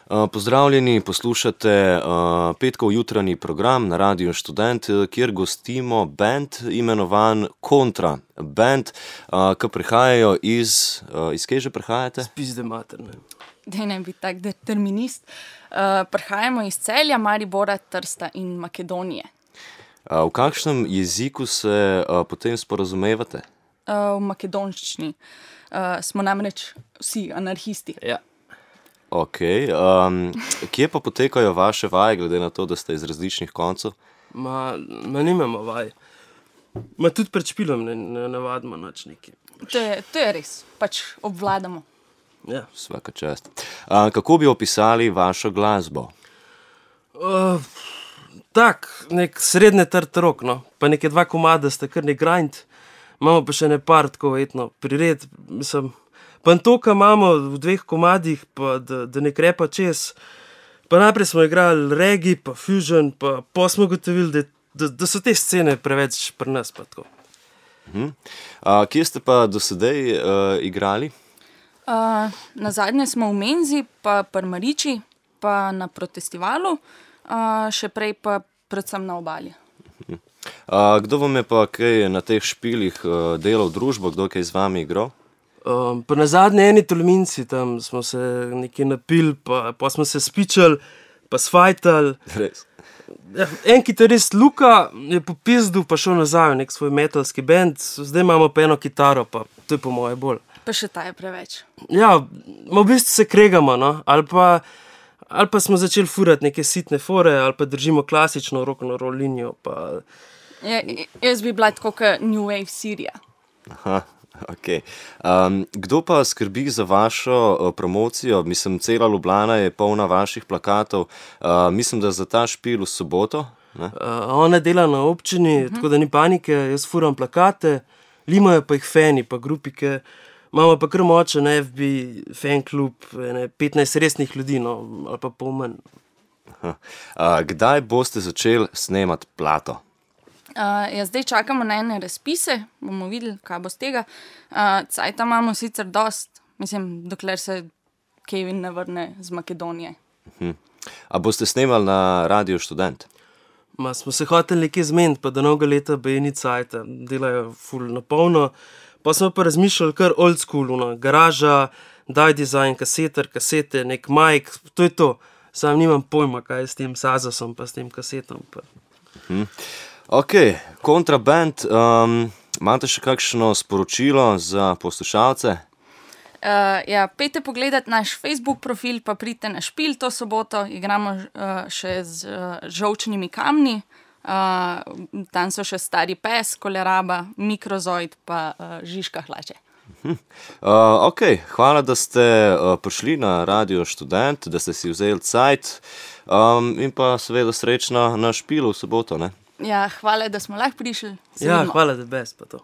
Pozdravljeni, poslušate petkov jutranji program na Radiu Študent, kjer gostimo band imenovan Kontra. Band, ki prihajajo iz kje že prihajate? Spizde materne. Daj ne biti tak determinist. Prihajamo iz Celja, Maribora, Trsta in Makedonije. V kakšnem jeziku se potem sporazumevate? V makedonščini. Smo namreč vsi anarhisti. Ja. Ok, kje pa potekajo vaše vaje, glede na to, da ste iz različnih koncev? Ma nimamo vaj. Ma tudi pred špilom ne navadimo nič nekaj. To je res, pač obvladamo. Ja. Svaka čast. Kako bi opisali vašo glasbo? Tak, nek srednje trd rock, no. Pa neke 2 komada sta kar nek grind. Imamo pa še ne par tako etno prired, mislim. Pa to, kar imamo v 2 komadih, pa da ne krepa čez. Pa najprej smo igrali reggae, pa fusion, pa smo gotovili, da so te scene preveč pri nas, pa tako. Kje ste pa do sedaj igrali? Nazadnje smo v Menzi, pa pri Mariči, pa na Protestivalu, še prej pa predvsem na Obali. Kdo vam je pa kaj na teh špilih delal družbo, kdo kaj z vami igral? Pa nazadnje eni Tolminci, tam smo se nekaj napili, pa smo se spičali, pa sfajtali. Res? Ja, en kitarist Luka je popizdil, pa šel nazaj v nek svoj metalski band, zdaj imamo pa eno kitaro, pa to je po moje bolj. Pa še ta je preveč. Ja, v bistvu se kregamo, no, ali pa smo začeli furati neke sitne fore, ali pa držimo klasično rock'n'roll linijo, pa... Jaz bi bila tako kot New Wave Sirija. Aha, ok. Kdo pa skrbi za vašo promocijo? Mislim, cela Ljubljana je polna vaših plakatov. Mislim, da za ta špil v soboto, ne? Ona dela na občini, tako da ni panike, jaz furam plakate, limajo pa jih fani, pa grupike. Imamo pa kar močen FB fan klub, 15 resnih ljudi, no, ali pa pol manj. Kdaj boste začeli snemati plato? Zdaj čakamo na ene razpise, bomo videli, kaj bo z tega. Cajta imamo sicer dost, mislim, dokler se Kevin ne vrne z Makedonije. A boste snemali na Radiu Študent? Ma smo se hoteli nekaj zmeniti, pa do novega leta baje ni cajta, delajo ful na polno. Pa smo pa razmišljali kar old school, garaža, daj dizajn, kasete, nek mic, to je to. Sam nimam pojma, kaj je s tem Sazasom, pa s tem kasetom. Ok, Kontra band, imate še kakšno sporočilo za poslušalce? Ja, pejte pogledati naš Facebook profil, pa pridite na špil to soboto, igramo še z žolčnimi kamni. Tam so še Stari pes, Koleraba, Mikrozoid pa Žižka hlače. Ok, hvala, da ste prišli na Radio Študent, da ste si vzeli cajt in pa seveda srečno na špilu v soboto, ne? Ja, hvala, da smo lahko prišli. Ja, hvala, da bes pa to.